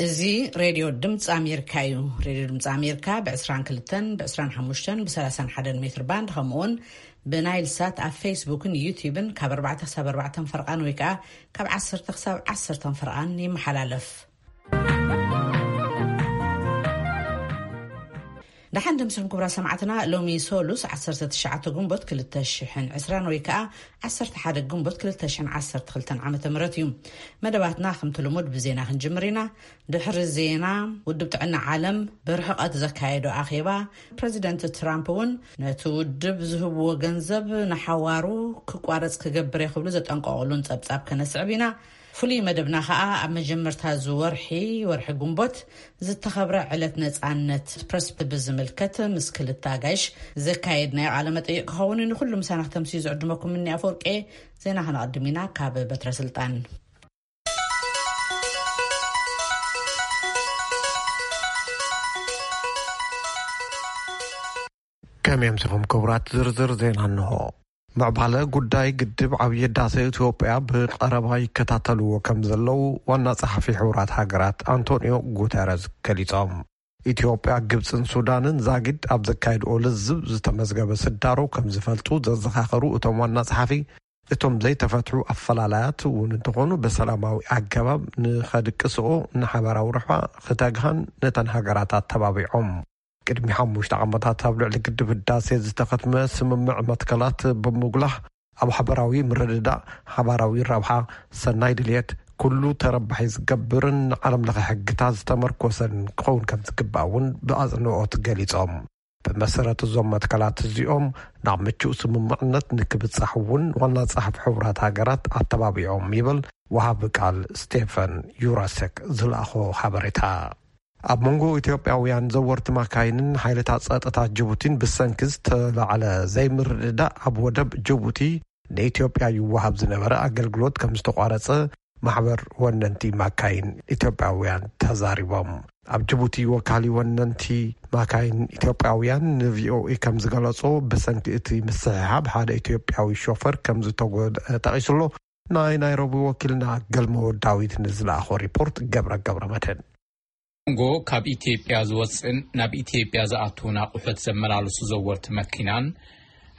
እዚ ሬድዮ ድምፂ ኣሜሪካ እዩ። ሬድዮ ድምፂ ኣሜሪካ ብ22፣ ብ25፣ ብ31 ሜትር ባንድ፣ ከምኡውን ብናይል ሳት ኣብ ፌስቡክን ዩቲዩብን ካብ ኣርባዕተ ክሳብ ኣርባዕተ ፈርቓን ወይ ከዓ ካብ ዓሰርተ ክሳብ ዓሰርተ ፈርቓን ይመሓላለፍ። ደሓን ደምስኹም ክቡራ ሰማዕትና። ሎሚ ሶሉስ ዓሰርተ ትሽዓተ ግንቦት ክልተ ሽሕን ዕስራን ወይ ከዓ ዓሰርተ ሓደ ግንቦት ክልተ ሽሕን ዓሰርተ ክልተን ዓመተ ምህረት እዩ። መደባትና ከምቲ ልሙድ ብዜና ክንጅምር ኢና። ድሕሪ ዜና፣ ውድብ ጥዕና ዓለም ብርሕቐት ዘካየዶ ኣኼባ፣ ፕረዚደንት ትራምፕ እውን ነቲ ውድብ ዝህብዎ ገንዘብ ንሓዋሩ ክቋረጽ ክገብር እየ ክብሉ ዘጠንቀቑሉን ጸብጻብ ከነስዕብ ኢና። ፍሉይ መደብና ኸኣ ኣብ መጀመርታ እዚ ወርሒ፣ ወርሒ ግንቦት ዝተኸብረ ዕለት ነጻነት ፕረስ ብዝምልከት ምስ ክልተ ኣጋይሽ ዘካየድናዮ ቃለ መጠይቕ ክኸውን እዩ። ንኹሉ ምሳና ክተምስዩ ዝዕድመኩም እኒ ኣፈወርቄ። ዜና ከነቐድም ኢና ካብ በትረ ስልጣን። ከመይ ኣምሲኹም ክቡራት? ዝርዝር ዜና እንሆ። ምዕባለ ጉዳይ ግድብ ዓብዪ ህዳሴ ኢትዮጵያ ብቐረባ ይከታተልዎ ከም ዘለዉ ዋና ጸሓፊ ሕቡራት ሃገራት ኣንቶኒዮ ጉተረዝ ገሊጾም። ኢትዮጵያ፣ ግብጽን ሱዳንን ዛጊድ ኣብ ዘካየድኦ ልዝብ ዝተመዝገበ ስዳሮ ከም ዝፈልጡ ዘዘኻኸሩ እቶም ዋና ጸሓፊ፣ እቶም ዘይተፈትሑ ኣፈላላያት እውን እንተኾኑ ብሰላማዊ ኣገባብ ንኸድቅስኦ ንሓበራዊ ረብሓ ክተግሃን ነተን ሃገራት ኣተባቢዖም። ቅድሚ ሓሙሽተ ዓመታት ኣብ ልዕሊ ግድብ ህዳሴ ዝተኸትመ ስምምዕ መትከላት ብምጉላህ ኣብ ሓበራዊ ምርድዳእ፣ ሓባራዊ ረብሓ፣ ሰናይ ድልየት፣ ኩሉ ተረባሒ ዝገብርን ንዓለም ለኸ ሕግታት ዝተመርኮሰን ክኸውን ከም ዝግባእ እውን ብኣጽንኦት ገሊጾም። ብመሰረት እዞም መትከላት እዚኦም ናብ ምቹእ ስምምዕነት ንክብጻሕ እውን ዋና ጸሓፊ ሕቡራት ሃገራት ኣተባቢዖም ይብል ወሃቢ ቃል ስቴፈን ዩራሰክ ዝለኣኾ ሓበሬታ። ኣብ መንጎ ኢትዮጵያውያን ዘወርቲ ማካይንን ሓይልታት ጸጥታ ጅቡቲን ብሰንኪ ዝተላዕለ ዘይምርድዳእ ኣብ ወደብ ጅቡቲ ንኢትዮጵያ ይወሃብ ዝነበረ ኣገልግሎት ከም ዝተቋረጸ ማሕበር ወነንቲ ማካይን ኢትዮጵያውያን ተዛሪቦም። ኣብ ጅቡቲ ወካሊ ወነንቲ ማካይን ኢትዮጵያውያን ንቪኦኤ ከም ዝገለጾ፣ ብሰንኪ እቲ ምስሕሓብ ሓደ ኢትዮጵያዊ ሾፈር ከም ዝተጎድአ ጠቒሱ ኣሎ። ናይ ናይሮቢ ወኪልና ገልሞ ዳዊት ንዝለኣኾ ሪፖርት ገብረ ገብረ መድህን። መንጎ ካብ ኢትዮጵያ ዝወፅእን ናብ ኢትዮጵያ ዝኣትውን ኣቑሑት ዘመላልሱ ዘወርቲ መኪናን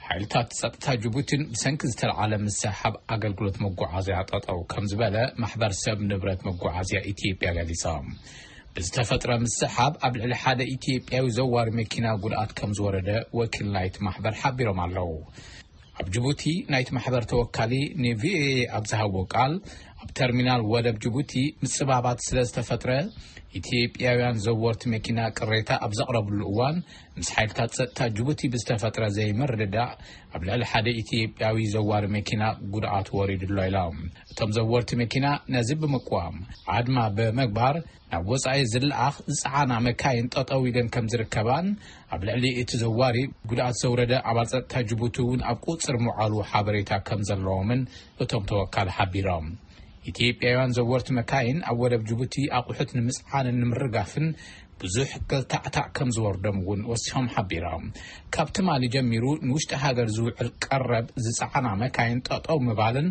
ሓይልታት ጸጥታ ጅቡቲን ብሰንኪ ዝተለዓለ ምስሕሓብ ኣገልግሎት መጓዓዝያ ጠጠው ከም ዝበለ ማሕበር ሰብ ንብረት መጓዓዝያ ኢትዮጵያ ገሊጾም። ብዝተፈጥረ ምስሕሓብ ኣብ ልዕሊ ሓደ ኢትዮጵያዊ ዘዋሪ መኪና ጉድኣት ከም ዝወረደ ወኪል ናይቲ ማሕበር ሓቢሮም ኣለዉ። ኣብ ጅቡቲ ናይቲ ማሕበር ተወካሊ ንቪኦኤ ኣብ ዝሃቦ ቃል፣ ኣብ ተርሚናል ወደብ ጅቡቲ ምጽባባት ስለ ዝተፈጥረ፣ ኢትዮጵያውያን ዘወርቲ መኪና ቅሬታ ኣብ ዘቕረብሉ እዋን፣ ምስ ሓይልታት ጸጥታ ጅቡቲ ብዝተፈጥረ ዘይምርድዳእ ኣብ ልዕሊ ሓደ ኢትዮጵያዊ ዘዋሪ መኪና ጉድኣት ወሪዱ ኣሎ ኢሎም። እቶም ዘወርቲ መኪና ነዚ ብምቅዋም፣ ኣድማ ብምግባር ናብ ወጻኢ ዝለኣኽ ዝጸዓና መካይን ጠጠው ኢለን ከም ዝርከባን ኣብ ልዕሊ እቲ ዘዋሪ ጉድኣት ዘውረደ ኣባል ጸጥታ ጅቡቲ እውን ኣብ ቁጽር ምውዓሉ ሓበሬታ ከም ዘለዎምን እቶም ተወካል ሓቢሮም። ኢትዮጵያውያን ዘወርቲ መካይን ኣብ ወደብ ጅቡቲ ኣቑሑት ንምጽዓንን ንምርጋፍን ብዙሕ ገልታዕታዕ ከም ዝወርዶም እውን ወሲኾም ሓቢሮም። ካብ ትማሊ ጀሚሩ ንውሽጢ ሃገር ዝውዕል ቀረብ ዝጸዓና መካይን ጠጠው ምባልን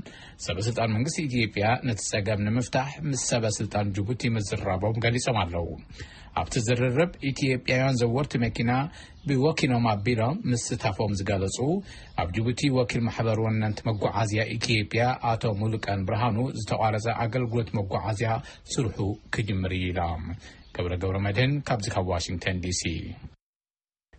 ሰበ ስልጣን መንግስቲ ኢትዮጵያ ነቲ ጸገም ንምፍታሕ ምስ ሰበ ስልጣን ጅቡቲ ምዝራቦም ገሊጾም ኣለዉ። ኣብቲ ዝርርብ ኢትዮጵያውያን ዘወርቲ መኪና ብወኪሎም ኣቢሎም ምስታፎም ዝገለጹ ኣብ ጅቡቲ ወኪል ማሕበር ወነንቲ መጓዓዝያ ኢትዮጵያ ኣቶ ሙሉቀን ብርሃኑ፣ ዝተቋረጸ ኣገልግሎት መጓዓዝያ ስርሑ ክጅምር እዩ ኢሎም። ገብረ ገብረ መድህን ካብዚ ካብ ዋሽንግተን ዲሲ።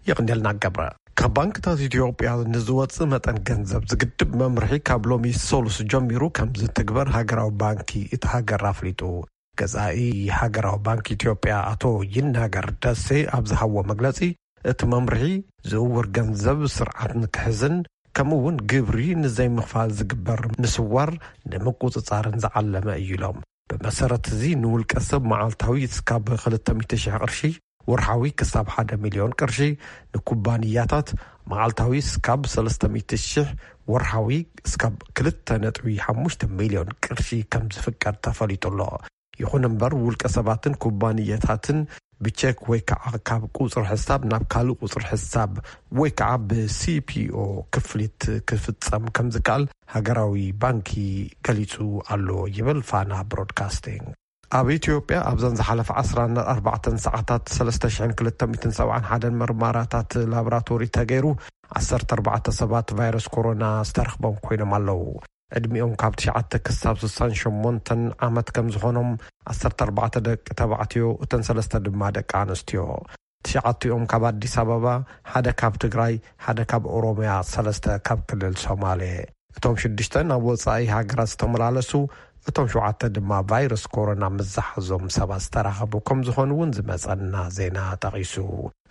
የቕንየልና ገብረ። ካብ ባንክታት ኢትዮጵያ ንዝወጽእ መጠን ገንዘብ ዝግድብ መምርሒ ካብ ሎሚ ሰሉስ ጀሚሩ ከም ዝትግበር ሃገራዊ ባንኪ እቲ ሃገር ኣፍሊጡ። ገዛኢ ሃገራዊ ባንክ ኢትዮጵያ ኣቶ ይናገር ደሴ ኣብ ዝሃቦ መግለጺ፣ እቲ መምርሒ ዝውውር ገንዘብ ስርዓት ንክሕዝን ከምኡ እውን ግብሪ ንዘይምኽፋል ዝግበር ምስዋር ንምቁጽጻርን ዝዓለመ እዩ ኢሎም። ብመሰረት እዚ ንውልቀ ሰብ መዓልታዊ እስካብ ክልተ ሚእቲ ሺሕ ቅርሺ፣ ወርሓዊ ክሳብ ሓደ ሚልዮን ቅርሺ፣ ንኩባንያታት መዓልታዊ እስካብ ሰለስተ ሚእቲ ሺሕ፣ ወርሓዊ እስካብ ክልተ ነጥቢ ሓሙሽተ ሚልዮን ቅርሺ ከም ዝፍቀድ ተፈሊጡ ኣሎ። ይኹን እምበር ውልቀ ሰባትን ኩባንያታትን ብቼክ ወይ ከዓ ካብ ቁፅሪ ሕሳብ ናብ ካልእ ቁፅሪ ሕሳብ ወይ ከዓ ብሲፒኦ ክፍሊት ክፍፀም ከም ዝከኣል ሃገራዊ ባንኪ ገሊፁ ኣሎ ይብል ፋና ብሮድካስቲንግ። ኣብ ኢትዮጵያ ኣብዘን ዝሓለፈ ዓሰርተ ኣርባዕተ ሰዓታት ሰለስተ ሽሕን ክልተ ሚእትን ሰብዓን ሓደን ምርመራታት ላቦራቶሪ ተገይሩ፣ ዓሰርተ ኣርባዕተ ሰባት ቫይረስ ኮሮና ዝተረኽቦም ኮይኖም ኣለዉ። ዕድሚኦም ካብ ትሽዓተ ክሳብ ስሳን ሸሞንተን ዓመት ከም ዝኾኖም ዓሰርተ ኣርባዕተ ደቂ ተባዕትዮ፣ እተን ሰለስተ ድማ ደቂ ኣንስትዮ። ትሽዓቲኦም ካብ ኣዲስ ኣበባ፣ ሓደ ካብ ትግራይ፣ ሓደ ካብ ኦሮምያ፣ ሰለስተ ካብ ክልል ሶማሌ። እቶም ሽዱሽተ ናብ ወጻኢ ሃገራት ዝተመላለሱ፣ እቶም ሸውዓተ ድማ ቫይረስ ኮሮና ምስ ዝሓዞም ሰባት ዝተራኸቡ ከም ዝኾኑ እውን ዝመጸና ዜና ጠቒሱ።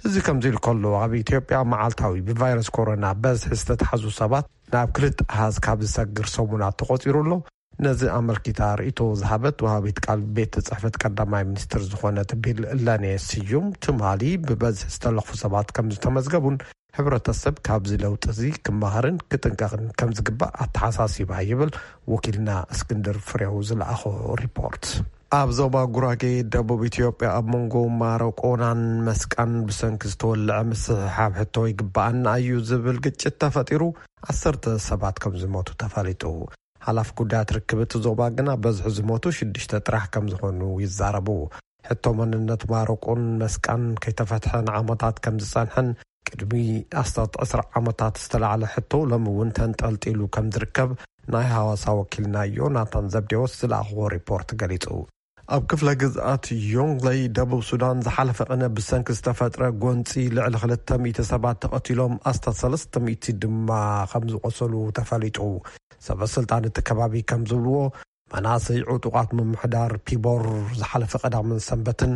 እዚ ከምዚ ኢሉ ከሎ፣ ኣብ ኢትዮጵያ መዓልታዊ ብቫይረስ ኮሮና በዝሒ ዝተታሕዙ ሰባት ናብ ክልተ ኣሃዝ ካብ ዝሰግር ሰሙናት ተቖጺሩ ኣሎ። ነዚ ኣመልኪታ ርእይቶ ዝሃበት ወሃቢት ቃል ቤት ጽሕፈት ቀዳማይ ሚኒስትር ዝኾነት ቢለኔ ስዩም፣ ትማሊ ብበዝሒ ዝተለኽፉ ሰባት ከም ዝተመዝገቡን፣ ሕብረተሰብ ካብዚ ለውጢ እዚ ክመሃርን ክጥንቀቕን ከም ዝግባእ ኣተሓሳሲባ ይብል ወኪልና እስክንድር ፍሬው ዝለኣኾ ሪፖርት። ኣብ ዞባ ጉራጌ ደቡብ ኢትዮጵያ፣ ኣብ መንጎ ማረቆናን መስቃን ብሰንኪ ዝተወለዐ ምስሕሓብ ሕቶ ይግባኣና እዩ ዝብል ግጭት ተፈጢሩ፣ ዓሰርተ ሰባት ከም ዝሞቱ ተፈሊጡ። ሓላፊ ጉዳያት ርክብ እቲ ዞባ ግና፣ በዝሒ ዝሞቱ ሽዱሽተ ጥራሕ ከም ዝኾኑ ይዛረቡ። ሕቶ መንነት ማረቆን መስቃን ከይተፈትሐ ንዓመታት ከም ዝጸንሐን፣ ቅድሚ ኣስታት ዕስራ ዓመታት ዝተላዕለ ሕቶ ሎሚ እውን ተንጠልጢሉ ከም ዝርከብ ናይ ሃዋሳ ወኪልና ዮናታን ዘብዴዎስ ዝለኣኽዎ ሪፖርት ገሊጹ። ኣብ ክፍለ ግዝኣት ዮንግለይ ደቡብ ሱዳን ዝሓለፈ ቅነ ብሰንኪ ዝተፈጥረ ጎንጺ ልዕሊ ክልተ ሚእቲ ሰባት ተቐቲሎም፣ ኣስታት ሰለስተ ሚእቲ ድማ ከም ዝቆሰሉ ተፈሊጡ። ሰበ ስልጣን እቲ ከባቢ ከም ዝብልዎ፣ መናእሰይ ዕጡቓት ምምሕዳር ፒቦር ዝሓለፈ ቀዳምን ሰንበትን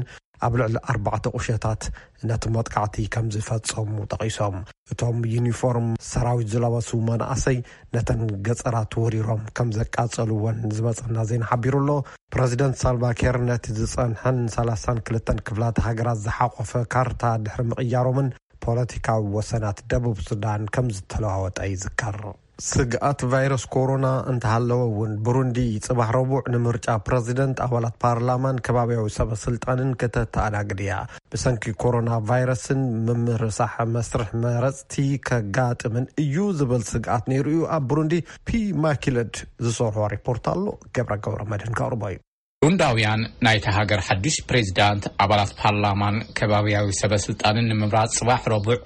ኣብ ልዕሊ ኣርባዕተ ቁሸታት ነቲ መጥቃዕቲ ከም ዝፈጸሙ ጠቒሶም። እቶም ዩኒፎርም ሰራዊት ዝለበሱ መናእሰይ ነተን ገጸራት ወሪሮም ከም ዘቃጸልወን ዝመጸና ዜና ሓቢሩ ኣሎ። ፕረዚደንት ሳልቫኪር ነቲ ዝጸንሐን ሰላሳን ክልተን ክፍላት ሃገራት ዝሓቆፈ ካርታ ድሕሪ ምቕያሮምን፣ ፖለቲካዊ ወሰናት ደቡብ ሱዳን ከም ዝተለዋወጠ ይዝከር። ስግኣት ቫይረስ ኮሮና እንተሃለወ እውን፣ ብሩንዲ ጽባሕ ረቡዕ ንምርጫ ፕረዚደንት፣ ኣባላት ፓርላማን ከባቢያዊ ሰበ ስልጣንን ከተተኣናግድ እያ። ብሰንኪ ኮሮና ቫይረስን ምምርሳሕ መስርሕ መረጽቲ ከጋጥምን እዩ ዝብል ስግኣት ነይሩ እዩ። ኣብ ብሩንዲ ፒ ማኪለድ ዝሰርሖ ሪፖርት ኣሎ፣ ገብረ ገብረ መድህን ከቕርቦ እዩ። ቡሩንዳውያን ናይታ ሃገር ሓድሽ ፕሬዚዳንት፣ ኣባላት ፓርላማን ከባቢያዊ ሰበ ስልጣንን ንምምራጽ ጽባሕ ረቡዕ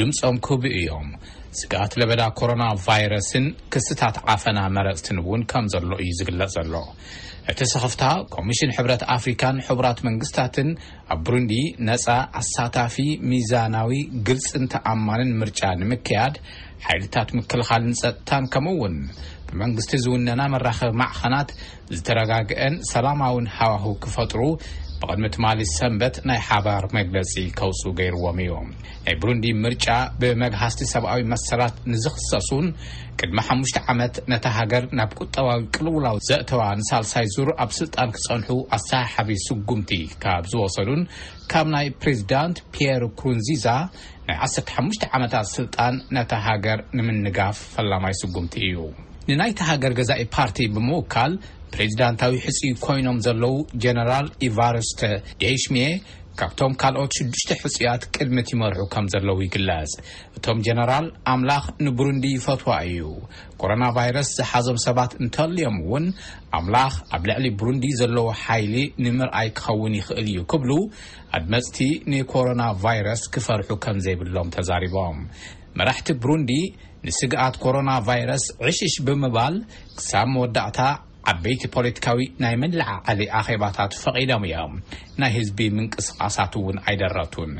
ድምጾም ክህቡ እዮም። ስግኣት ለበዳ ኮሮና ቫይረስን ክስታት ዓፈና መረጽትን እውን ከም ዘሎ እዩ ዝግለጽ ዘሎ። እቲ ስኽፍታ፣ ኮሚሽን ሕብረት ኣፍሪካን ሕቡራት መንግስታትን ኣብ ብሩንዲ ነጻ፣ ኣሳታፊ፣ ሚዛናዊ፣ ግልጽን ተኣማንን ምርጫ ንምክያድ፣ ሓይልታት ምክልኻልን ጸጥታን፣ ከምኡ እውን ብመንግስቲ ዝውነና መራኸቢ ማዕኸናት ዝተረጋግአን ሰላማውን ሃዋህው ክፈጥሩ፣ ብቕድሚ ትማሊ ሰንበት ናይ ሓባር መግለጺ ከውጽኡ ገይርዎም እዩ። ናይ ብሩንዲ ምርጫ፣ ብመግሃስቲ ሰብኣዊ መሰላት ንዝኽሰሱን ቅድሚ ሓሙሽተ ዓመት ነታ ሃገር ናብ ቁጠባዊ ቅልውላው ዘእተዋ፣ ንሳልሳይ ዙር ኣብ ስልጣን ክጸንሑ ኣሰሓሓቢ ስጉምቲ ካብ ዝወሰዱን፣ ካብ ናይ ፕሬዚዳንት ፒየር ኩሩንዚዛ ናይ ዓሰርተ ሓሙሽተ ዓመታት ስልጣን ነታ ሃገር ንምንጋፍ ፈላማይ ስጉምቲ እዩ። ንናይታ ሃገር ገዛኢ ፓርቲ ብምውካል ፕሬዚዳንታዊ ሕጹይ ኮይኖም ዘለዉ ጀነራል ኢቫርስተ ደይሽሚየ፣ ካብቶም ካልኦት ሽዱሽተ ሕጹያት ቅድሚት ይመርሑ ከም ዘለዉ ይግለጽ። እቶም ጀነራል፣ ኣምላኽ ንብሩንዲ ይፈትዋ እዩ። ኮሮና ቫይረስ ዝሓዞም ሰባት እንተልዮም እውን፣ ኣምላኽ ኣብ ልዕሊ ብሩንዲ ዘለዎ ሓይሊ ንምርኣይ ክኸውን ይኽእል እዩ ክብሉ፣ ኣድመጽቲ ንኮሮና ቫይረስ ክፈርሑ ከም ዘይብሎም ተዛሪቦም። መራሕቲ ብሩንዲ ንስግኣት ኮሮና ቫይረስ ዕሽሽ ብምባል፣ ክሳብ መወዳእታ ዓበይቲ ፖለቲካዊ ናይ መለዓዓሊ ኣኼባታት ፈቒዶም እዮም። ናይ ህዝቢ ምንቅስቓሳት እውን ኣይደረቱን።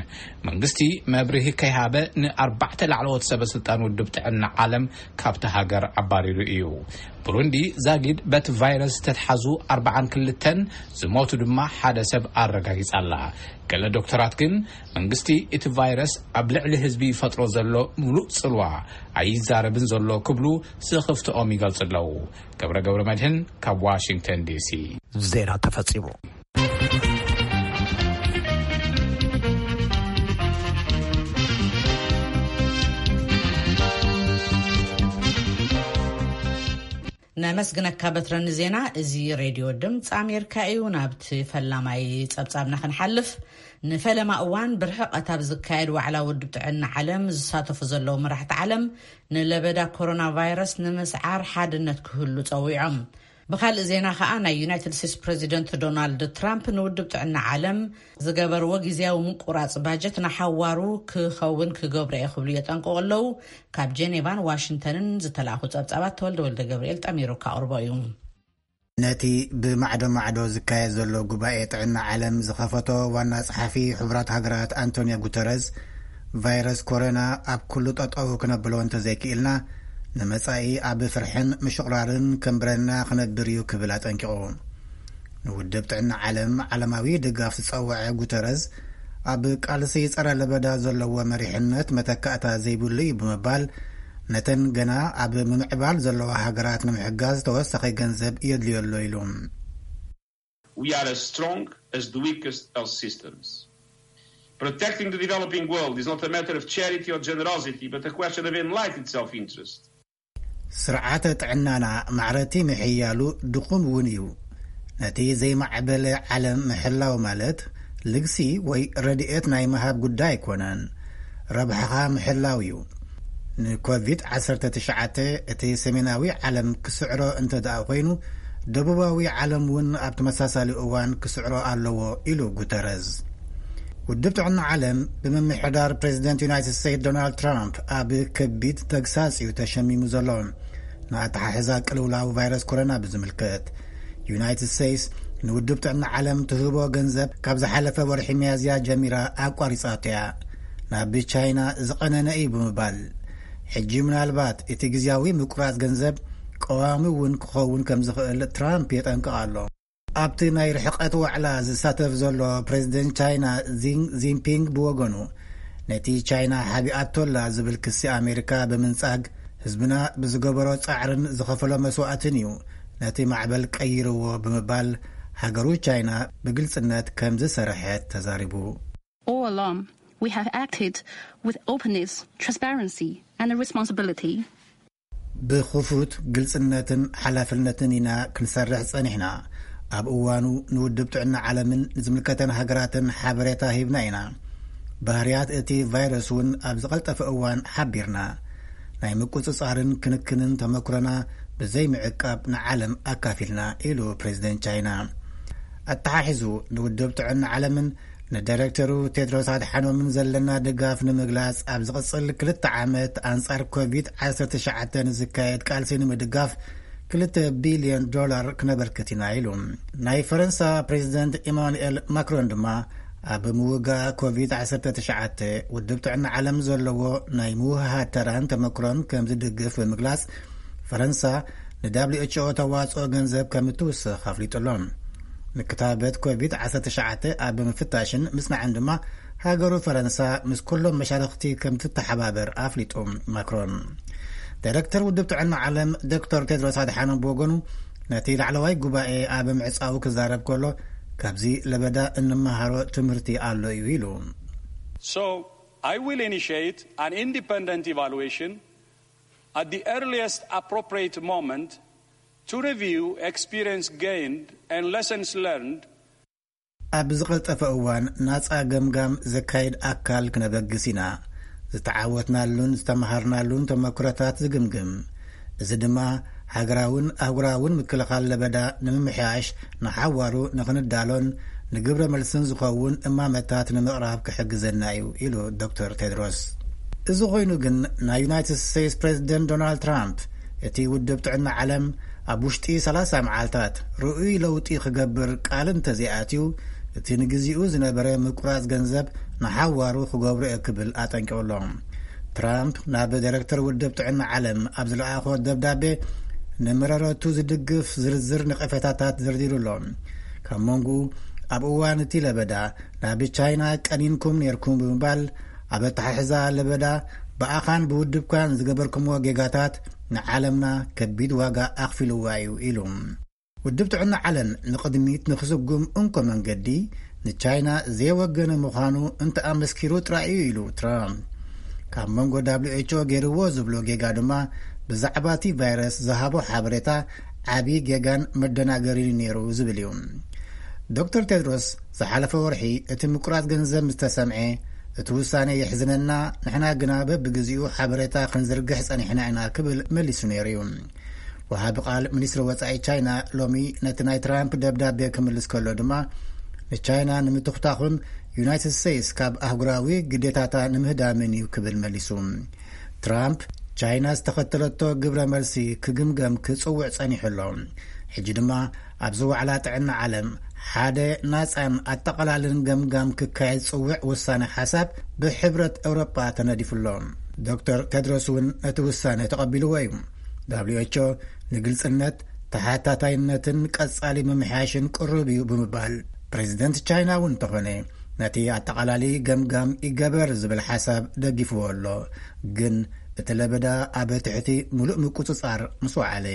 መንግስቲ መብርሂ ከይሃበ፣ ንኣርባዕተ ላዕለዎት ሰበ ስልጣን ውድብ ጥዕና ዓለም ካብቲ ሃገር ኣባሪሩ እዩ። ብሩንዲ ዛጊድ በቲ ቫይረስ ዝተትሓዙ ኣርባዓን ክልተን፣ ዝሞቱ ድማ ሓደ ሰብ ኣረጋጊጻ ኣላ። ገለ ዶክተራት ግን፣ መንግስቲ እቲ ቫይረስ ኣብ ልዕሊ ህዝቢ ይፈጥሮ ዘሎ ምሉእ ጽልዋ ኣይዛረብን ዘሎ ክብሉ ስኽፍትኦም ይገልጹ ኣለዉ። ገብረ ገብረ መድህን ካብ ዋሽንግተን ዲሲ። ዜና ተፈጺሙ። ነመስግነካ በትረ ንዜና። እዚ ሬድዮ ድምፂ ኣሜሪካ እዩ። ናብቲ ፈላማይ ጸብጻብና ክንሓልፍ፣ ንፈለማ እዋን ብርሕቐት ኣብ ዝካየድ ዋዕላ ውድብ ጥዕና ዓለም ዝሳተፉ ዘለዉ መራሕቲ ዓለም፣ ንለበዳ ኮሮና ቫይረስ ንምስዓር ሓድነት ክህሉ ጸዊዖም። ብኻልእ ዜና ከኣ፣ ናይ ዩናይትድ ስቴትስ ፕሬዚደንት ዶናልድ ትራምፕ ንውድብ ጥዕና ዓለም ዝገበርዎ ግዜያዊ ምቁራጽ ባጀት ንሓዋሩ ክኸውን ክገብሮ እየ ክብሉ የጠንቅቑ ኣለዉ። ካብ ጀኔቫን ዋሽንግተንን ዝተላእኹ ጸብጻባት ተወልደ ወልደ ገብርኤል ጠሚሩ ካቕርቦ እዩ። ነቲ ብማዕዶ ማዕዶ ዝካየድ ዘሎ ጉባኤ ጥዕና ዓለም ዝኸፈቶ ዋና ጸሓፊ ሕቡራት ሃገራት ኣንቶኒዮ ጉተረዝ፣ ቫይረስ ኮሮና ኣብ ኩሉ ጠጠው ክነብሎ እንተዘይክኢልና፣ ንመጻኢ ኣብ ፍርሕን ምሽቑራርን ከንብረና ክነብር እዩ ክብል ኣጠንቂቑ። ንውድብ ጥዕና ዓለም ዓለማዊ ድጋፍ ዝጸወዐ ጉተረዝ፣ ኣብ ቃልሲ ጸረ ለበዳ ዘለዎ መሪሕነት መተካእታ ዘይብሉ እዩ ብምባል፣ ነተን ገና ኣብ ምምዕባል ዘለዋ ሃገራት ንምሕጋዝ ተወሳኺ ገንዘብ የድልዮ ኣሎ ኢሉ። We are as strong as the weakest health systems. Protecting the developing world is not a matter of charity or generosity, but a question of enlightened self-interest. ስርዓተ ጥዕናና ማዕረቲ ምሕያሉ ድኹም እውን እዩ። ነቲ ዘይማዕበለ ዓለም ምሕላው ማለት ልግሲ ወይ ረድኤት ናይ ምሃብ ጉዳይ ኣይኮነን። ረብሓኻ ምሕላው እዩ። ንኮቪድ ዓሰርተ ትሽዓተ እቲ ሰሜናዊ ዓለም ክስዕሮ እንተ ደኣ ኮይኑ፣ ደቡባዊ ዓለም እውን ኣብ ተመሳሳሊ እዋን ክስዕሮ ኣለዎ ኢሉ ጉተረዝ። ውድብ ጥዕና ዓለም ብምምሕዳር ፕሬዚደንት ዩናይትድ ስቴትስ ዶናልድ ትራምፕ ኣብ ከቢድ ተግሳጽ እዩ ተሸሚሙ ዘሎ። ንኣተሓሕዛ ቅልውላው ቫይረስ ኮሮና ብዝምልከት፣ ዩናይትድ ስቴትስ ንውድብ ጥዕና ዓለም ትህቦ ገንዘብ ካብ ዝሓለፈ ወርሒ ሚያዝያ ጀሚራ ኣቋሪጻቶ እያ። ናብ ቻይና ዝቐነነ እዩ ብምባል፣ ሕጂ ምናልባት እቲ ግዝያዊ ምቁራጽ ገንዘብ ቀዋሚ እውን ክኸውን ከም ዝኽእል ትራምፕ የጠንቅቕ ኣሎ። ኣብቲ ናይ ርሕቀት ዋዕላ ዝሳተፍ ዘሎ ፕሬዚደንት ቻይና ዚን ዚንፒንግ ብወገኑ፣ ነቲ ቻይና ሓቢኣቶላ ዝብል ክሲ ኣሜሪካ ብምንጻግ፣ ህዝብና ብዝገበሮ ጻዕርን ዝኸፈሎ መስዋእትን እዩ ነቲ ማዕበል ቀይርዎ ብምባል፣ ሃገሩ ቻይና ብግልጽነት ከም ዝሰርሐት ተዛሪቡ። All along, we have acted with openness, transparency, and responsibility. ብኽፉት ግልጽነትን ሓላፍነትን ኢና ክንሰርሕ ጸኒሕና። ኣብ እዋኑ ንውድብ ጥዕና ዓለምን ንዝምልከተን ሃገራትን ሓበሬታ ሂብና ኢና። ባህርያት እቲ ቫይረስ እውን ኣብ ዝቐልጠፈ እዋን ሓቢርና። ናይ ምቁጽጻርን ክንክንን ተመክሮና ብዘይ ምዕቃብ ንዓለም ኣካፊልና ኢሉ ፕሬዚደንት ቻይና። ኣተሓሒዙ ንውድብ ጥዕና ዓለምን ንዳይሬክተሩ ቴድሮስ ኣድሓኖምን ዘለና ድጋፍ ንምግላጽ ኣብ ዝቕጽል ክልተ ዓመት ኣንጻር ኮቪድ ዓሰርተ ትሽዓተ ንዝካየድ ቃልሲ ንምድጋፍ ክልተ ቢልዮን ዶላር ክነበርክት ኢና ኢሉ። ናይ ፈረንሳ ፕሬዚደንት ኢማኑኤል ማክሮን ድማ ኣብ ምውጋእ ኮቪድ ዓሰርተ ትሽዓተ ውድብ ጥዕና ዓለም ዘለዎ ናይ ምውህሃድ ተራን ተመክሮን ከም ዝድግፍ ብምግላጽ፣ ፈረንሳ ን ደብሊው ኤች ኦ ተዋጽኦ ገንዘብ ከም እትውስኽ ኣፍሊጡ ኣሎ። ንክታበት ኮቪድ ዓሰርተ ትሽዓተ ኣብ ምፍታሽን ምጽናዕን ድማ ሃገሩ ፈረንሳ ምስ ኩሎም መሻርኽቲ ከም ትተሓባበር ኣፍሊጡ ማክሮን። ዳይረክተር ውድብ ጥዕና ዓለም ዶክተር ቴድሮስ ኣድሓኖም ብወገኑ፣ ነቲ ላዕለዋይ ጉባኤ ኣብ ምዕጻው ክዛረብ ከሎ፣ ካብዚ ለበዳ እንመሃሮ ትምህርቲ ኣሎ እዩ ኢሉ። So, I will initiate an independent evaluation at the earliest appropriate moment to review experience gained and lessons learned. ኣብ ዝቐልጠፈ እዋን ናጻ ገምጋም ዘካይድ ኣካል ክነበግስ ኢና። ዝተዓወትናሉን ዝተመሃርናሉን ተመክሮታት ዝግምግም። እዚ ድማ ሃገራውን ኣህጉራውን ምክልኻል ለበዳ ንምምሕያሽ ንሓዋሩ ንኽንዳሎን ንግብረ መልስን ዝኸውን እማመታት ንምቕራብ ክሕግዘና እዩ ኢሉ ዶክተር ቴድሮስ። እዚ ኮይኑ ግን ናይ ዩናይትድ ስቴትስ ፕሬዚደንት ዶናልድ ትራምፕ እቲ ውድብ ጥዕና ዓለም ኣብ ውሽጢ ሰላሳ መዓልታት ርኡይ ለውጢ ክገብር ቃል እንተዘይኣትዩ፣ እቲ ንግዚኡ ዝነበረ ምቁራጽ ገንዘብ ንሓዋሩ ክገብሮ እየ ክብል ኣጠንቂቑ ኣሎ። ትራምፕ ናብ ዳይረክተር ውድብ ጥዕና ዓለም ኣብ ዝለኣኾ ደብዳቤ፣ ንመረረቱ ዝድግፍ ዝርዝር ነቐፌታታት ዘርዚሩ ኣሎ። ካብ መንጎኡ፣ ኣብ እዋን እቲ ለበዳ ናብ ቻይና ቀኒንኩም ነይርኩም ብምባል፣ ኣብ ኣተሓሕዛ ለበዳ ብኣኻን ብውድብካን ዝገበርኩምዎ ጌጋታት ንዓለምና ከቢድ ዋጋ ኣኽፊልዋ እዩ ኢሉ። ውድብ ጥዕና ዓለም ንቕድሚት ንክስጉም እንኮ መንገዲ ንቻይና ዘይወገነ ምዃኑ እንተኣመስኪሩ ጥራይ እዩ ኢሉ ትራምፕ። ካብ መንጎ ደብሊው ኤች ኦ ገይርዎ ዝብሎ ጌጋ ድማ ብዛዕባ እቲ ቫይረስ ዝሃቦ ሓበሬታ ዓቢ ጌጋን መደናገሪን ነይሩ ዝብል እዩ። ዶክተር ቴድሮስ ዝሓለፈ ወርሒ እቲ ምቁራጽ ገንዘብ ምስ ተሰምዐ፣ እቲ ውሳኔ የሕዝነና፣ ንሕና ግና በብግዜኡ ሓበሬታ ክንዝርግሕ ጸኒሕና ኢና ክብል መሊሱ ነይሩ እዩ። ወሃቢ ቃል ሚኒስትሪ ወጻኢ ቻይና ሎሚ ነቲ ናይ ትራምፕ ደብዳቤ ክምልስ ከሎ ድማ፣ ንቻይና ንምትኹታኹን ዩናይትድ ስቴትስ ካብ ኣህጉራዊ ግዴታታ ንምህዳምን እዩ ክብል መሊሱ። ትራምፕ ቻይና ዝተኸተለቶ ግብረ መልሲ ክግምገም ክጽውዕ ጸኒሑ ኣሎ። ሕጂ ድማ ኣብዚ ዋዕላ ጥዕና ዓለም ሓደ ናጻን ኣጠቓላልን ገምጋም ክካየድ ዝጽውዕ ውሳነ ሓሳብ ብሕብረት ኤውሮጳ ተነዲፉ ኣሎ። ዶክተር ቴድሮስ እውን ነቲ ውሳነ ተቐቢልዎ እዩ። ደብሊው ኤች ኦ ንግልጽነት፣ ተሓታታይነትን ቀጻሊ ምምሕያሽን ቅሩብ እዩ ብምባል፣ ፕሬዚደንት ቻይና እውን እንተኾነ ነቲ ኣጠቓላሊ ገምጋም ይገበር ዝብል ሓሳብ ደጊፍዎ ኣሎ። ግን እቲ ለበዳ ኣብ ትሕቲ ምሉእ ምቁጽጻር ምስ ወዓለ።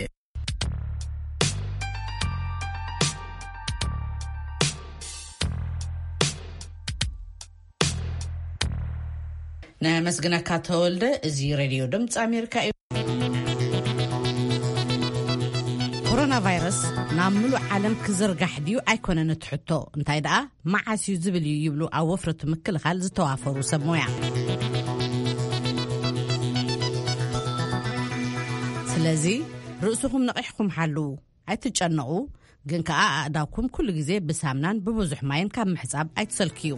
ነመስግነካ ተወልደ። እዚ ሬድዮ ድምፂ ኣሜሪካ እዩ። ኮሮና ቫይረስ ናብ ምሉእ ዓለም ክዝርጋሕ ድዩ ኣይኮነን እቲ ሕቶ፣ እንታይ ደኣ መዓስ እዩ ዝብል እዩ ይብሉ ኣብ ወፍሪ እቲ ምክልኻል ዝተዋፈሩ ሰብ ሞያ። ስለዚ ርእስኹም ነቒሕኩም ሓልዉ። ኣይትጨነቑ፣ ግን ከኣ ኣእዳውኩም ኩሉ ግዜ ብሳምናን ብብዙሕ ማይን ካብ ምሕጻብ ኣይትሰልክዩ።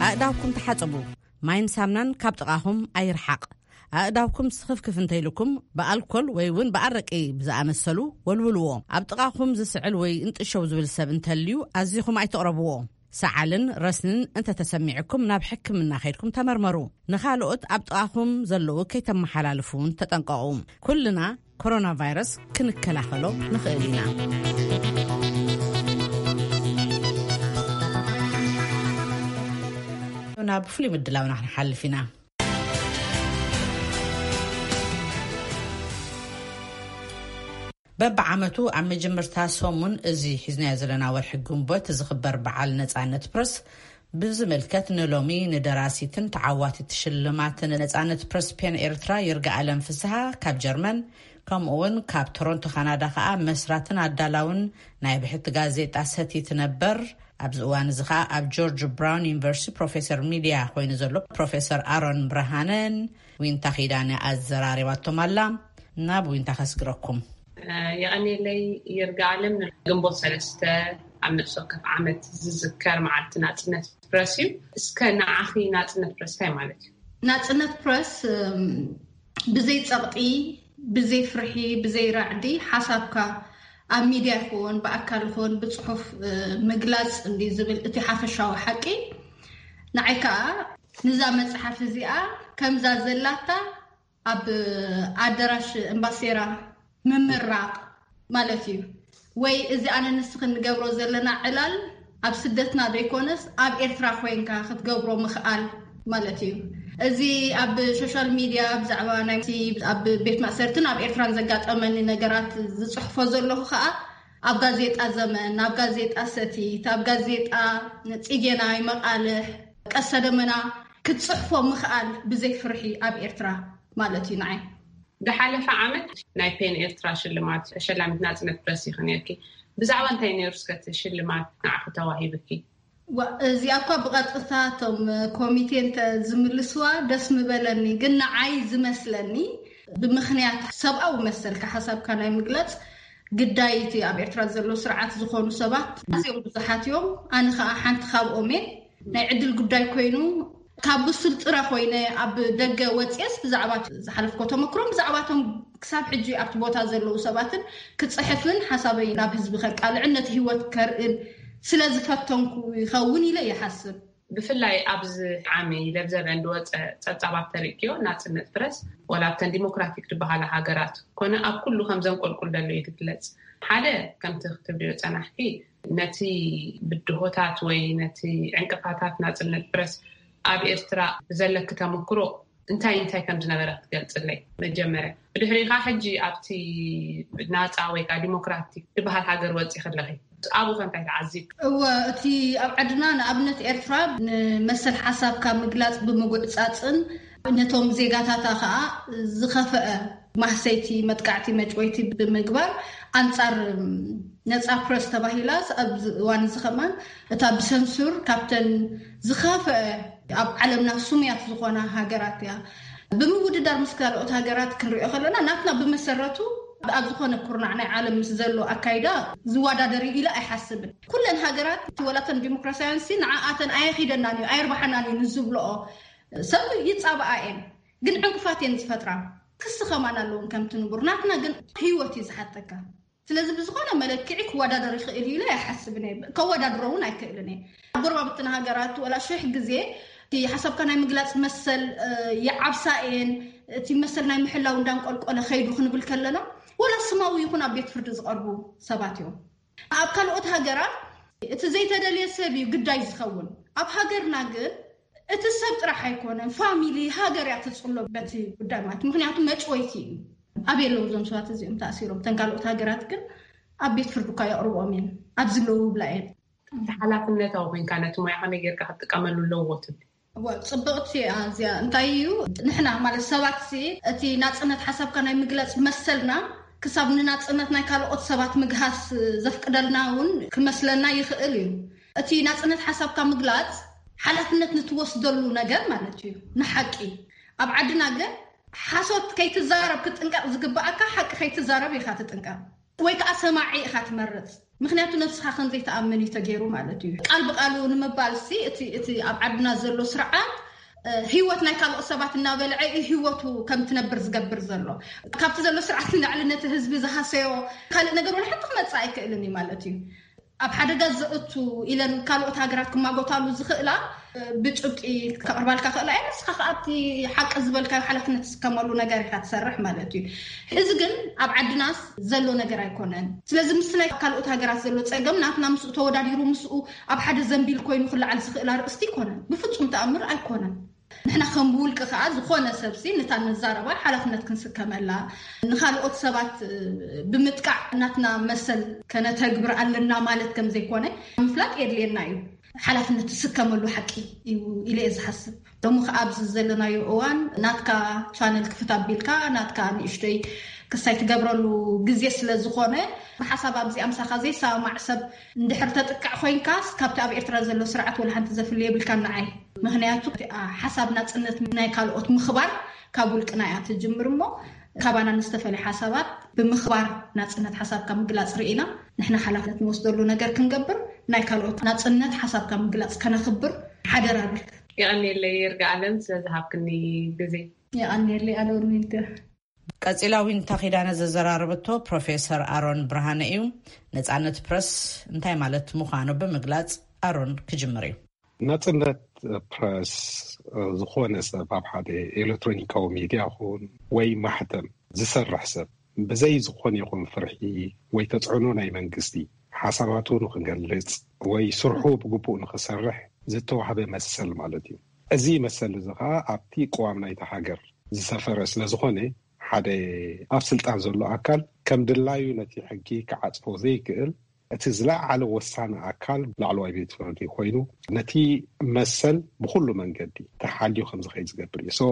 ኣእዳውኩም ተሓጸቡ። ማይን ሳምናን ካብ ጥቓኹም ኣይርሓቕ። ኣእዳውኩም ስኽፍክፍ እንተኢልኩም ብኣልኮል ወይ እውን ብኣረቂ ብዝኣመሰሉ ወልውልዎ። ኣብ ጥቓኹም ዝስዕል ወይ እንጥሸው ዝብል ሰብ እንተልዩ ኣዚኹም ኣይትቕረብዎ። ሰዓልን ረስንን እንተተሰሚዕኩም ናብ ሕክምና ከይድኩም ተመርመሩ። ንኻልኦት ኣብ ጥቓኹም ዘለዉ ከይተመሓላልፉ እውን ተጠንቀቑ። ኩልና ኮሮና ቫይረስ ክንከላኸሎ ንኽእል ኢና። ናብ ፍሉይ ምድላውና ክንሓልፍ ኢና። በብዓመቱ ኣብ መጀመርታ ሰሙን እዚ ሒዝናዮ ዘለና ወርሒ ግንቦት ዝኽበር በዓል ነጻነት ፕረስ ብዝምልከት ንሎሚ ንደራሲትን ተዓዋቲት ሽልማት ነጻነት ፕረስ ፔን ኤርትራ ይርጋኣለም ፍስሃ ካብ ጀርመን፣ ከምኡ እውን ካብ ቶሮንቶ ካናዳ ከኣ መስራትን ኣዳላውን ናይ ብሕቲ ጋዜጣ ሰቲት ነበር፣ ኣብዚ እዋን እዚ ከኣ ኣብ ጆርጅ ብራውን ዩኒቨርሲቲ ፕሮፌሰር ሚድያ ኮይኑ ዘሎ ፕሮፌሰር ኣሮን ብርሃነን ዊንታ ኪዳነ ኣዘራሪባቶም ኣላ። ናብ ዊንታ ከስግረኩም። የቐኔለይ ይርጋ ኣለም። ግንቦት ሰለስተ ኣብ ነፍሲ ወከፍ ዓመት ዝዝከር መዓልቲ ናጽነት ፕረስ እዩ። እስከ ንዓኺ ናጽነት ፕረስ እንታይ ማለት እዩ? ናጽነት ፕረስ፣ እም፣ ብዘይ ጸቕጢ፣ ብዘይ ፍርሒ፣ ብዘይ ራዕዲ ሓሳብካ ኣብ ሚድያ ይኹን ብኣካል ይኹን ብጽሑፍ፣ እ፣ ምግላጽ እንዲ ዝብል እቲ ሓፈሻዊ ሓቂ። ንዓይ ከኣ ንዛ መጽሓፍ እዚኣ ከምዛ ዘላታ ኣብ ኣደራሽ እምባሴራ ምምራቕ ማለት እዩ። ወይ እዚ ኣነ ንስኽን ንገብሮ ዘለና ዕላል ኣብ ስደትና ዘይኮነስ ኣብ ኤርትራ ኮይንካ ክትገብሮ ምኽኣል ማለት እዩ። እዚ ኣብ ሶሻል ሚድያ ብዛዕባ ናይ ኣብ ቤት ማእሰርትን ኣብ ኤርትራን ዘጋጠመኒ ነገራት ዝጽሕፎ ዘለኹ ከኣ ኣብ ጋዜጣ ዘመን፣ ኣብ ጋዜጣ ሰቲት፣ ኣብ ጋዜጣ ጽጌናይ፣ መቓልሕ፣ ቀሰ ደመና ክትጽሕፎ ምኽኣል ብዘይ ፍርሒ ኣብ ኤርትራ ማለት እዩ ንዓይ። ዝሓለፈ ዓመት ናይ ፔን ኤርትራ ሽልማት ተሸላሚት ናጽነት ፕረስ ኢኺ ነርኪ። ብዛዕባ እንታይ ነይሩ እስከ እቲ ሽልማት ንዓኺ ተዋሂብኪ? ዋ፣ እዚኣ እኳ ብቐጥታ እቶም ኮሚቴ እንተ ዝምልስዋ ደስ ምበለኒ፣ ግን ንዓይ ዝመስለኒ ብምኽንያት ሰብኣዊ መሰልካ ሓሳብካ ናይ ምግላጽ ግዳይ እቲ ኣብ ኤርትራ ዘሎ ስርዓት ዝኾኑ ሰባት ኣዝዮም ብዙሓት እዮም። ኣነ ኸኣ ሓንቲ ካብኦም እየ። ናይ ዕድል ጉዳይ ኮይኑ ካብ ብሱል ጥረ ኮይነ ኣብ ደገ ወፅየስ ብዛዕባ ዝሓለፍኮ ተመክሮን ብዛዕባቶም ክሳብ ሕጂ ኣብቲ ቦታ ዘለዉ ሰባትን ክፅሕፍን ሓሳበይ ናብ ህዝቢ ከቃልዕን ነቲ ህይወት ከርእን ስለ ዝፈተንኩ ይኸውን ኢለ ይሓስብ። ብፍላይ ኣብዚ ዓሚ ለብዘበን ዝወፀ ፀብፃባት ተርእክዮ ናፅነት ፕረስ ዋላ ኣብተን ዲሞክራቲክ ዝበሃላ ሃገራት ኮነ ኣብ ኩሉ ከም ዘንቆልቁል ዘሎ እዩ ዝግለፅ። ሓደ ከምቲ ክትብልዮ ፀናሕኪ ነቲ ብድሆታት ወይ ነቲ ዕንቅፋታት ናፅነት ፕረስ ኣብ ኤርትራ ብዘለኪ ተመክሮ እንታይ እንታይ ከም ዝነበረ ክትገልፅለይ መጀመርያ። ብድሕሪኻ ሕጂ ኣብቲ ናፃ ወይ ከዓ ዲሞክራቲክ ዝበሃል ሃገር ወፂኺ ኣለኺ። ኣብኡ ከ እንታይ ተዓዚብኪ? እወ፣ እቲ ኣብ ዓድና ንኣብነት ኤርትራ ንመሰል ሓሳብካ ምግላፅ ብምጉዕፃፅን ነቶም ዜጋታታ ከዓ ዝኸፈአ ማህሰይቲ፣ መጥቃዕቲ፣ መጭወይቲ ብምግባር ኣንፃር ነፃ ፕረስ ተባሂላ ኣብዚ እዋን እዚ ከማን እታ ብሰንሱር ካብተን ዝኸፈአ ኣብ ዓለምና ስሙያት ዝኾና ሃገራት እያ። ብምውድዳር ምስ ካልኦት ሃገራት ክንሪኦ ከለና፣ ናትና ብመሰረቱ ኣብ ዝኾነ ኩርናዕ ናይ ዓለም ምስ ዘሎ ኣካይዳ ዝወዳደር እዩ ኢለ ኣይሓስብን። ኩለን ሃገራት፣ ወላተን ዲሞክራሲያውያን ሲ፣ ንዓኣተን ኣየኺደናን እዩ፣ ኣየርባሓናን እዩ ንዝብልኦ ሰብ ይጻባኣ እየን። ግን ዕንቅፋት እየን ዝፈጥራ። ክሲ ከማን ኣለውን ከምቲ ንቡር። ናትና ግን ህይወት እዩ ዝሓተካ። ስለዚ ብዝኾነ መለክዒ ክወዳደር ይኽእል እዩ ኢለ ኣይሓስብን እየ። ከወዳድሮ እውን ኣይክእልን እየ። ኣብ ጎረባብትና ሃገራት ወላ ሽሕ ግዜ እቲ ሓሳብካ ናይ ምግላጽ መሰል፣ እ፣ ይዓብሳ እየን። እቲ መሰል ናይ ምሕላው እንዳንቆልቆለ ከይዱ ክንብል ከለና፣ ወላ ስማዊ ይኹን ኣብ ቤት ፍርዲ ዝቐርቡ ሰባት እዮም። ኣብ ካልኦት ሃገራት እቲ ዘይተደልየ ሰብ እዩ ግዳይ ዝኸውን። ኣብ ሃገርና ግን እቲ ሰብ ጥራሕ ኣይኮነን፣ ፋሚሊ፣ ሃገር እያ ትጽሎ በቲ ጉዳይ ማለት። ምኽንያቱ መጭወይቲ እዩ። ኣብ የለዉ እዞም ሰባት እዚኦም ተኣሲሮም። እተን ካልኦት ሃገራት ግን ኣብ ቤት ፍርዲ እኳ የቕርብኦም እየን፣ ኣብ ዝለዉ ይብላ እየን። እቲ ሓላፍነታዊ ኮይንካ ነቲ ሞያ ከመይ ጌርካ ክትጥቀመሉ ኣለዎ ትብል? እወ፣ ጽብቕቲ እያ እዚኣ። እንታይ እዩ፣ ንሕና ማለት ሰባት ሲ፣ እቲ ናጽነት ሓሳብካ ናይ ምግላጽ መሰልና ክሳብ ንናጽነት ናይ ካልኦት ሰባት ምግሃስ ዘፍቅደልና እውን ክመስለና ይኽእል እዩ። እቲ ናጽነት ሓሳብካ ምግላጽ ሓላፍነት ንትወስደሉ ነገር ማለት እዩ፣ ንሓቂ። ኣብ ዓድና ግን ሓሶት ከይትዛረብ ክጥንቀቕ ዝግብኣካ፣ ሓቂ ከይትዛረብ ኢኻ ትጥንቀቕ። ወይ ከዓ ሰማዒ ኢኻ ትመርጽ። ምኽንያቱ ነብስኻ ከም ዘይትኣምን እዩ ተገይሩ ማለት እዩ። ቃል ብቃሉ ንምባል ሲ፣ እቲ፣ እቲ ኣብ ዓድና ዘሎ ስርዓት፣ እ፣ ህይወት ናይ ካልኦት ሰባት እናበልዐ እዩ ህይወቱ ከም ትነብር ዝገብር ዘሎ። ካብቲ ዘሎ ስርዓት ንላዕሊ ነቲ ህዝቢ ዝሃሰዮ ካልእ ነገር ወላ ሓንቲ ክመጽእ ኣይክእልን እዩ ማለት እዩ። ኣብ ሓደጋ ዘእቱ ኢለን ካልኦት ሃገራት ክማጎታሉ ዝኽእላ፣ እ፣ ብጭብጢ ከቕርባልካ ክእላ እየን። ንስኻ ከኣ ኣብቲ ሓቂ ዝበልካዮ ሓላፍነት ዝስከመሉ ነገር ኢኻ ትሰርሕ ማለት እዩ። እዚ ግን ኣብ ዓድናስ ዘሎ ነገር ኣይኮነን። ስለዚ ምስቲ ናይ ካልኦት ሃገራት ዘሎ ጸገም ናትና ምስኡ ተወዳዲሩ ምስኡ ኣብ ሓደ ዘንቢል ኮይኑ ክለዓል ዝኽእል ኣርእስቲ ኣይኮነን። ብፍጹም ተኣምር ኣይኮነን። ንሕና ከም ብውልቂ ከኣ ዝኾነ ሰብሲ ነታ ንዛረባ ሓላፍነት ክንስከመላ፣ ንኻልኦት ሰባት፣ እ፣ ብምጥቃዕ ናትና መሰል ከነተግብር ኣለና ማለት ከም ዘይኮነ ምፍላጥ የድልየና እዩ። ሓላፍነት ትስከመሉ ሓቂ እዩ ኢለ እየ ዝሓስብ። ሎሚ ከኣ ኣብዚ ዘለናዮ እዋን ናትካ ቻነል ክፍት ኣቢልካ ናትካ ንእሽተይ ክሳይ ትገብረሉ ግዜ ስለ ዝኾነ፣ ብሓሳብ ኣብዚኣ ምሳኻ ዘይሰማማዕ ሰብ እንድሕር ተጥቃዕ ኮይንካስ፣ ካብቲ ኣብ ኤርትራ ዘሎ ስርዓት ወላ ሓንቲ ዘፍሊ የብልካን ንዓይ። ምኽንያቱ፣ እቲ፣ ኣ፣ ሓሳብ ናጽነት ናይ ካልኦት ምኽባር ካብ ውልቅና እያ ትጅምር እሞ፣ ካባና ንዝተፈለየ ሓሳባት ብምኽባር ናጽነት ሓሳብካ ምግላጽ ርኢና፣ ንሕና ሓላፍነት ንወስደሉ ነገር ክንገብር፣ ናይ ካልኦት ናጽነት ሓሳብካ ምግላጽ ከነኽብር ሓደራ እብል። የቐንየለይ ይርጋ ኣለም ስለ ዝሃብክኒ ግዜ። የቐንየለይ ኣለም ዊንተር። ቀጺላ ዊንታ ኪዳነ ዘዘራረበቶ ፕሮፌሰር ኣሮን ብርሃነ እዩ። ነጻነት ፕረስ እንታይ ማለት ምዃኑ ብምግላጽ ኣሮን ክጅምር እዩ። ናጽነት ፕረስ፣ እ፣ ዝኾነ ሰብ ኣብ ሓደ ኤሌክትሮኒካዊ ሚድያ ይኹን ወይ ማሕተም ዝሰርሕ ሰብ ብዘይ ዝኾነ ይኹን ፍርሒ ወይ ተጽዕኖ ናይ መንግስቲ ሓሳባቱ ንኽገልጽ ወይ ስርሑ ብግቡእ ንኽሰርሕ ዝተዋህበ መሰል ማለት እዩ። እዚ መሰል እዚ ኸኣ ኣብቲ ቅዋም ናይታ ሃገር ዝሰፈረ ስለ ዝኾነ፣ ሓደ ኣብ ስልጣን ዘሎ ኣካል ከም ድላዩ ነቲ ሕጊ ክዓጽፎ ዘይክእል፣ እቲ ዝለዓለ ወሳኒ ኣካል ላዕለዋይ ቤት ፍርዲ ኮይኑ፣ ነቲ መሰል ብኹሉ መንገዲ ተሓልዩ ከም ዝኸይድ ዝገብር እዩ። ሶ፣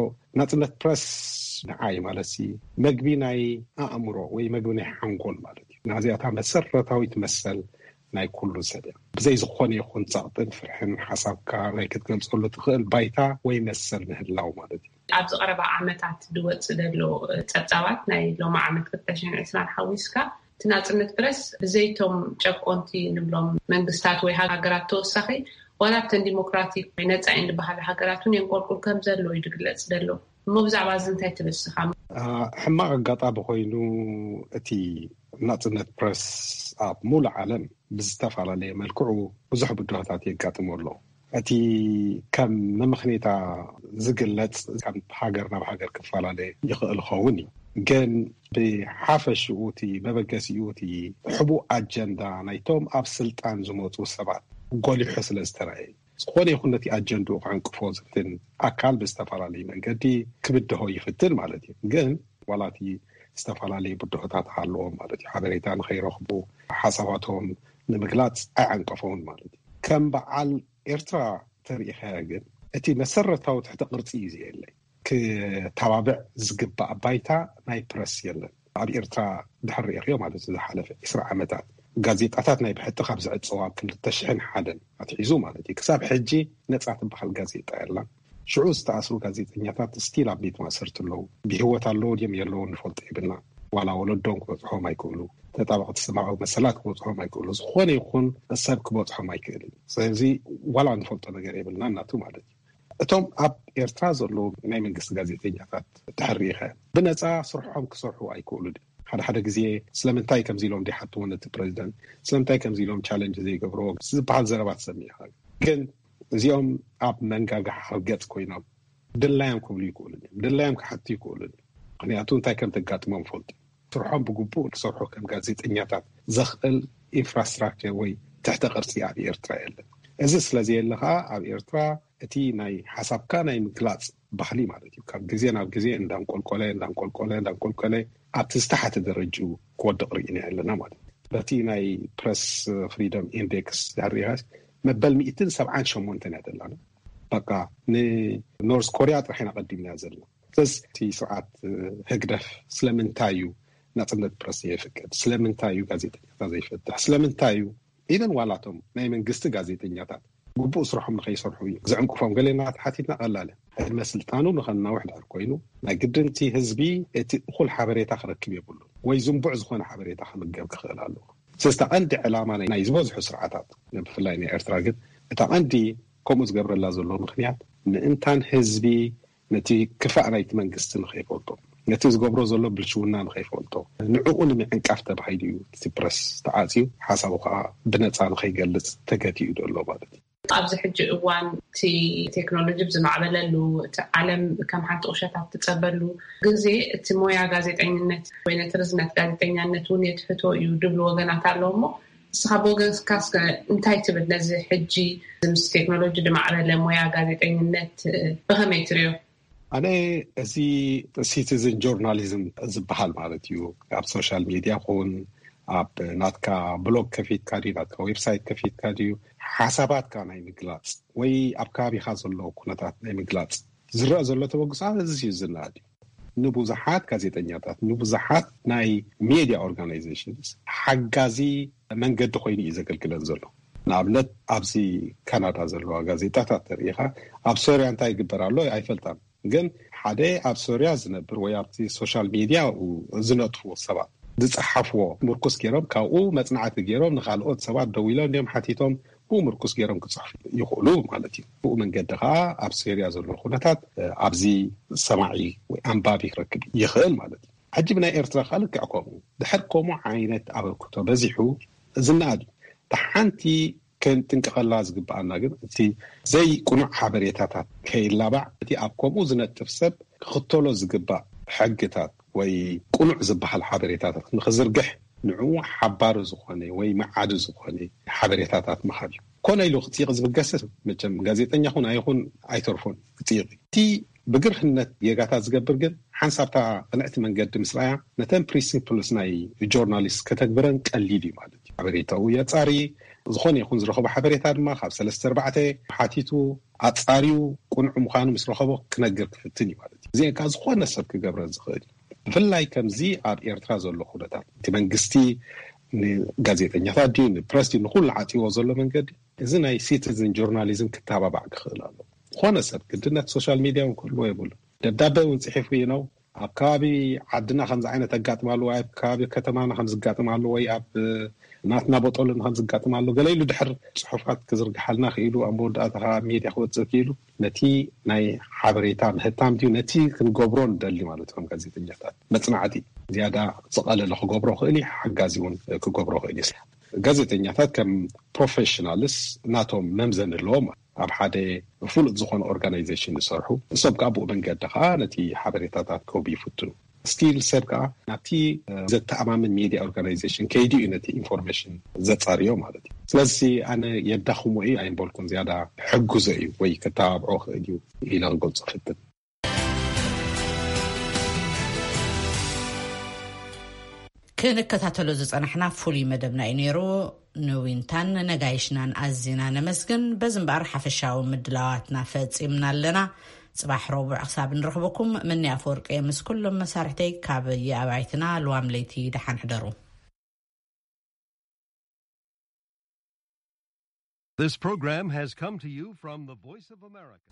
ናጽነት ፕረስ ንዓይ ማለት ሲ፣ መግቢ ናይ ኣእምሮ ወይ መግቢ ናይ ሓንጎል ማለት እዩ። ናዚኣታ መሰረታዊት መሰል ናይ ኩሉ ሰብ እያ። ብዘይ ዝኾነ ይኹን ጸቕጥን ፍርሕን ሓሳብካ ናይ ክትገልጸሉ ትኽእል ባይታ ወይ መሰል ምህላው ማለት እዩ። ኣብዚ ቀረባ ዓመታት ዝወጽእ ዘሎ ጸብጻባት ናይ ሎሚ ዓመት ክልተ ሽሕን ዕስራን ሓዊስካ፣ እቲ ናጽነት ፕረስ ብዘይቶም ጨቆንቲ ንብሎም መንግስታት ወይ ሃገራት ተወሳኺ፣ ዋላ ኣብተን ዲሞክራቲክ ወይ ነጻ እየን ዝበሃላ ሃገራት እውን የንቆልቁል ከም ዘሎ እዩ ዝግለጽ ዘሎ። እሞ ብዛዕባ እዚ እንታይ ትብል ንስኻ? አ፣ ሕማቕ ኣጋጣሚ ኮይኑ፣ እቲ ናጽነት ፕረስ ኣብ ሙሉእ ዓለም ብዝተፈላለየ መልክዑ ብዙሕ ብድሆታት የጋጥሞ ኣሎ። እቲ ከም መመኽኔታ ዝግለጽ ካብ ሃገር ናብ ሃገር ክፈላለ ይኽእል ኸውን እዩ። ግን ብሓፈሽኡ እቲ መበገሲኡ እቲ ሕቡእ ኣጀንዳ ናይቶም ኣብ ስልጣን ዝመጹ ሰባት ጎሊሑ ስለ ዝተራእየ፣ ዝኾነ ይኹን ነቲ ኣጀንድኡ ክዕንቅፎ ዝፍትን ኣካል ብዝተፈላለየ መንገዲ ክብድሆ ይፍትን ማለት እዩ። ግን ዋላ እቲ ዝተፈላለዩ ብድሆታት ኣለዎም ማለት እዩ። ሓበሬታ ንኸይረኽቡ፣ ሓሳባቶም ንምግላጽ ኣይዓንቀፈውን ማለት እዩ። ከም በዓል ኤርትራ ተሪኢኻዮ ግን፣ እቲ መሰረታዊ ትሕተ ቅርጺ እዩ ዘየለይ። ክተባብዕ ዝግባእ ባይታ ናይ ፕረስ የለን። ኣብ ኤርትራ ድሕር ሪእኽዮ ማለት እዩ፣ ዝሓለፈ ዕስራ ዓመታት ጋዜጣታት ናይ ብሕቲ ካብ ዝዕጸዋ ኣብ ክልተ ሽሕን ሓደን ኣትሒዙ ማለት እዩ፣ ክሳብ ሕጂ ነጻ ትበሃል ጋዜጣ የላን። ሽዑ ዝተኣስሩ ጋዜጠኛታት ስቲል ኣብ ቤት ማእሰርቲ ኣለዉ። ብህይወት ኣለዉ ድዮም የለዉ ንፈልጦ የብልና። ዋላ ወለዶም ክበጽሖም ኣይክእሉ፣ ተጣበቕቲ ሰብኣዊ መሰላት ክበጽሖም ኣይክእሉ። ዝኾነ ይኹን ሰብ ክበጽሖም ኣይክእልን። ስለዚ ዋላ ንፈልጦ ነገር የብልና እናቱ ማለት እዩ። እቶም ኣብ ኤርትራ ዘለዉ ናይ መንግስቲ ጋዜጠኛታት ድሕር ርኢኻ፣ ብነጻ ስርሖም ክሰርሑ ኣይክእሉ ድዮም? ሓደ ሓደ ግዜ ስለምንታይ ከምዚ ኢሎም ዘይሓትዎ ነቲ ፕሬዚደንት፣ ስለምንታይ ከምዚ ኢሎም ቻለንጅ ዘይገብርዎ ዝበሃል ዘረባ ትሰምዕ ኢኻ። ግን እዚኦም ኣብ መንጋጋ ሓርገጽ ኮይኖም ድላዮም ክብሉ ይክእሉ እዮም፣ ድላዮም ክሓቱ ይክእሉ እዮም። ምክንያቱ እንታይ ከም ተጋጥሞም ፈልጡ፣ ስርሖም ብግቡእ ክሰርሑ ከም ጋዜጠኛታት ዘኽእል ኢንፍራስትራክቸር ወይ ትሕተ ቅርጺ ኣብ ኤርትራ የለን። እዚ ስለ ዘየለ ከዓ ኣብ ኤርትራ እቲ ናይ ሓሳብካ ናይ ምግላጽ ባህሊ ማለት እዩ ካብ ግዜ ናብ ግዜ እንዳንቆልቆለ እንዳንቆልቆለ እንዳንቆልቆለ ኣብቲ ዝተሓተ ደረጅኡ ክወድቕ ርኢና ኣለና ማለት እዩ። በቲ ናይ ፕረስ ፍሪደም ኢንዴክስ ድሕር ርኢኻስ መበል ሚእትን ሰብዓን ሸሞንተን እያ ዘላና። በቃ ንኖርዝ ኮርያ ጥራሕ ኢና ቀዲምና ዘለና። ስለዚ እቲ ስርዓት ህግደፍ ስለምንታይ እዩ ናጽነት ፕረስ ዘይፍቅድ? ስለምንታይ እዩ ጋዜጠኛታት ዘይፈትሕ? ስለምንታይ እዩ ኢቨን ዋላቶም ናይ መንግስቲ ጋዜጠኛታት ግቡእ ስርሖም ንኸይሰርሑ እዩ ዝዕንቅፎም? ገሌና ተሓቲትና ቀላል እያ። ዕድመ ስልጣኑ ንኸናውሕ ድሕር ኮይኑ ናይ ግድንቲ ህዝቢ እቲ እኹል ሓበሬታ ክረክብ የብሉን ወይ ዝንቡዕ ዝኾነ ሓበሬታ ክምገብ ክኽእል ኣለዎ። ስለዚ እታ ቀንዲ ዕላማ ናይ ዝበዝሑ ስርዓታት ብፍላይ ናይ ኤርትራ ግን እታ ቀንዲ ከምኡ ዝገብረላ ዘሎ ምክንያት ምእንታን ህዝቢ ነቲ ክፋእ ናይቲ መንግስቲ ንኸይፈልጦ፣ ነቲ ዝገብሮ ዘሎ ብልሽውና ንኸይፈልጦ፣ ንዕኡ ንምዕንቃፍ ተባሂሉ እዩ እቲ ፕረስ ተዓፅዩ፣ ሓሳቡ ከዓ ብነፃ ንኸይገልፅ ተገቲኡ ዘሎ ማለት እዩ። ኣብዚ ሕጂ እዋን እቲ ቴክኖሎጂ ብዝማዕበለሉ፣ እቲ ዓለም ከም ሓንቲ ቁሸት ኣብ ትፀበሉ ግዜ እቲ ሞያ ጋዜጠኝነት ወይ ነቲ ርዝነት ጋዜጠኛነት እውን የትሕቶ እዩ ድብሉ ወገናት ኣለዉ። እሞ ንስኻ ብወገንካ እስከ እንታይ ትብል ነዚ ሕጂ ምስ ቴክኖሎጂ ዝማዕበለ ሞያ ጋዜጠኝነት ብኸመይ ትሪኦ? ኣነ እዚ ሲቲዝን ጆርናሊዝም ዝበሃል ማለት እዩ። ኣብ ሶሻል ሚድያ ኹን ኣብ ናትካ ብሎግ ከፊትካ ድዩ፣ ናትካ ዌብሳይት ከፊትካ ድዩ፣ ሓሳባትካ ናይ ምግላፅ ወይ ኣብ ከባቢኻ ዘሎ ኩነታት ናይ ምግላፅ ዝረአ ዘሎ ተበግሶ እዚ እዩ ዝናድ እዩ። ንብዙሓት ጋዜጠኛታት፣ ንብዙሓት ናይ ሜድያ ኦርጋናይዜሽንስ ሓጋዚ መንገዲ ኮይኑ እዩ ዘገልግለን ዘሎ። ንኣብነት ኣብዚ ካናዳ ዘለዋ ጋዜጣታት ተርእኻ ኣብ ሶርያ እንታይ ይግበር ኣሎ ኣይፈልጣን። ግን ሓደ ኣብ ሶርያ ዝነብር ወይ ኣብቲ ሶሻል ሚድያ ዝነጥፉ ሰባት ዝፀሓፍዎ ምርኩስ ገይሮም ካብኡ መፅናዕቲ ገይሮም ንካልኦት ሰባት ደው ኢሎም እንዲዮም ሓቲቶም ብኡ ምርኩስ ገይሮም ክፅሕፉ ይኽእሉ ማለት እዩ። ብኡ መንገዲ ከዓ ኣብ ሶርያ ዘሎ ኩነታት ኣብዚ ሰማዒ ወይ ኣንባቢ ክረክብ ይኽእል ማለት እዩ። ሕጂ ብናይ ኤርትራ ከዓ ልክዕ ከምኡ ድሕር ከምኡ ዓይነት ኣበርክቶ በዚሑ ዝናኣድ እዩ። እታ ሓንቲ ክንጥንቀቐላ ዝግብኣና ግን እቲ ዘይቅኑዕ ሓበሬታታት ከይላባዕ እቲ ኣብ ከምኡ ዝነጥፍ ሰብ ክኽተሎ ዝግባእ ሕግታት ወይ ቅኑዕ ዝበሃል ሓበሬታታት ንኽዝርግሕ ንዕኡ ሓባሪ ዝኾነ ወይ መዓዲ ዝኾነ ሓበሬታታት ምሃብ እዩ። ኮነ ኢሉ ክፅይቕ ዝብገስ መቸም ጋዜጠኛ ኹን ኣይኹን ኣይተርፎን ክፅይቕ እዩ። እቲ ብግርህነት ጌጋታት ዝገብር ግን ሓንሳብታ ቅንዕቲ መንገዲ ምስ ረኣያ ነተን ፕሪንሲፕልስ ናይ ጆርናሊስት ከተግብረን ቀሊል እዩ ማለት እዩ። ሓበሬታኡ የጻሪ፣ ዝኾነ ይኹን ዝረኸቦ ሓበሬታ ድማ ካብ ሰለስተ ኣርባዕተ ሓቲቱ ኣጻርዩ ቅኑዕ ምዃኑ ምስ ረኸቦ ክነግር ክፍትን እዩ ማለት እዩ። እዚአን ከዓ ዝኾነ ሰብ ክገብረን ዝኽእል እዩ። ብፍላይ ከምዚ ኣብ ኤርትራ ዘሎ ኩነታት እቲ መንግስቲ ንጋዜጠኛታት ድዩ ንፕረስ ድዩ ንኩሉ ዓፅዎ ዘሎ መንገዲ እዚ ናይ ሲቲዝን ጆርናሊዝም ክተባባዕ ክኽእል ኣሎ። ዝኾነ ሰብ ግድነት ሶሻል ሚድያ እውን ክህልዎ የብሉ። ደብዳቤ እውን ፅሒፉ እዩ ነው ኣብ ከባቢ ዓድና ከምዚ ዓይነት ኣጋጥም ኣሎ ወይ ኣብ ከባቢ ከተማና ከም ዝጋጥም ኣሎ ወይ ኣብ ናትና ቦጦልን ከም ዝጋጥም ኣሎ ገለ ኢሉ ድሕር ፅሑፋት ክዝርግሓልና ክኢሉ ኣብ መወዳእታ ከዓ ኣብ ሚድያ ክወፅእ ክኢሉ ነቲ ናይ ሓበሬታ ምህታም ድዩ ነቲ ክንገብሮ ንደሊ ማለት ከም ጋዜጠኛታት መፅናዕቲ ዝያዳ ዝቐለለ ክገብሮ ክእል እዩ። ሓጋዚ እውን ክገብሮ ክእል እዩ። ጋዜጠኛታት ከም ፕሮፌሽናልስ ናቶም መምዘኒ ኣለዎም። ኣብ ሓደ ፍሉጥ ዝኾነ ኦርጋናይዜሽን ዝሰርሑ ሰብ ከዓ ብኡ መንገዲ ከዓ ነቲ ሓበሬታታት ክህቡ ይፍትኑ። ስቲል ሰብ ከዓ ናብቲ ዘተኣማምን ሜድያ ኦርጋናይዜሽን ከይዱ እዩ ነቲ ኢንፎርሜሽን ዘፃርዮ ማለት እዩ። ስለዚ ኣነ የዳኽሞ እዩ ኣይምበልኩን፣ ዝያዳ ሕግዞ እዩ ወይ ከተባብዖ ክእል እዩ ኢለ ክገልፆ ፍትን። ክንከታተሎ ዝጸናሕና ፍሉይ መደብና እዩ ነይሩ። ንዊንታን ነጋይሽናን ኣዚና ነመስግን። በዚ እምበኣር ሓፈሻዊ ምድላዋትና ፈጺምና ኣለና። ጽባሕ ረቡዕ ክሳብ ንረኽበኩም፣ ምኒ ኣፈወርቂ ምስ ኩሎም መሳርሕተይ ካብ የኣባይትና ልዋም ለይቲ ደሓን ሕደሩ። This program has come to you from the Voice of America.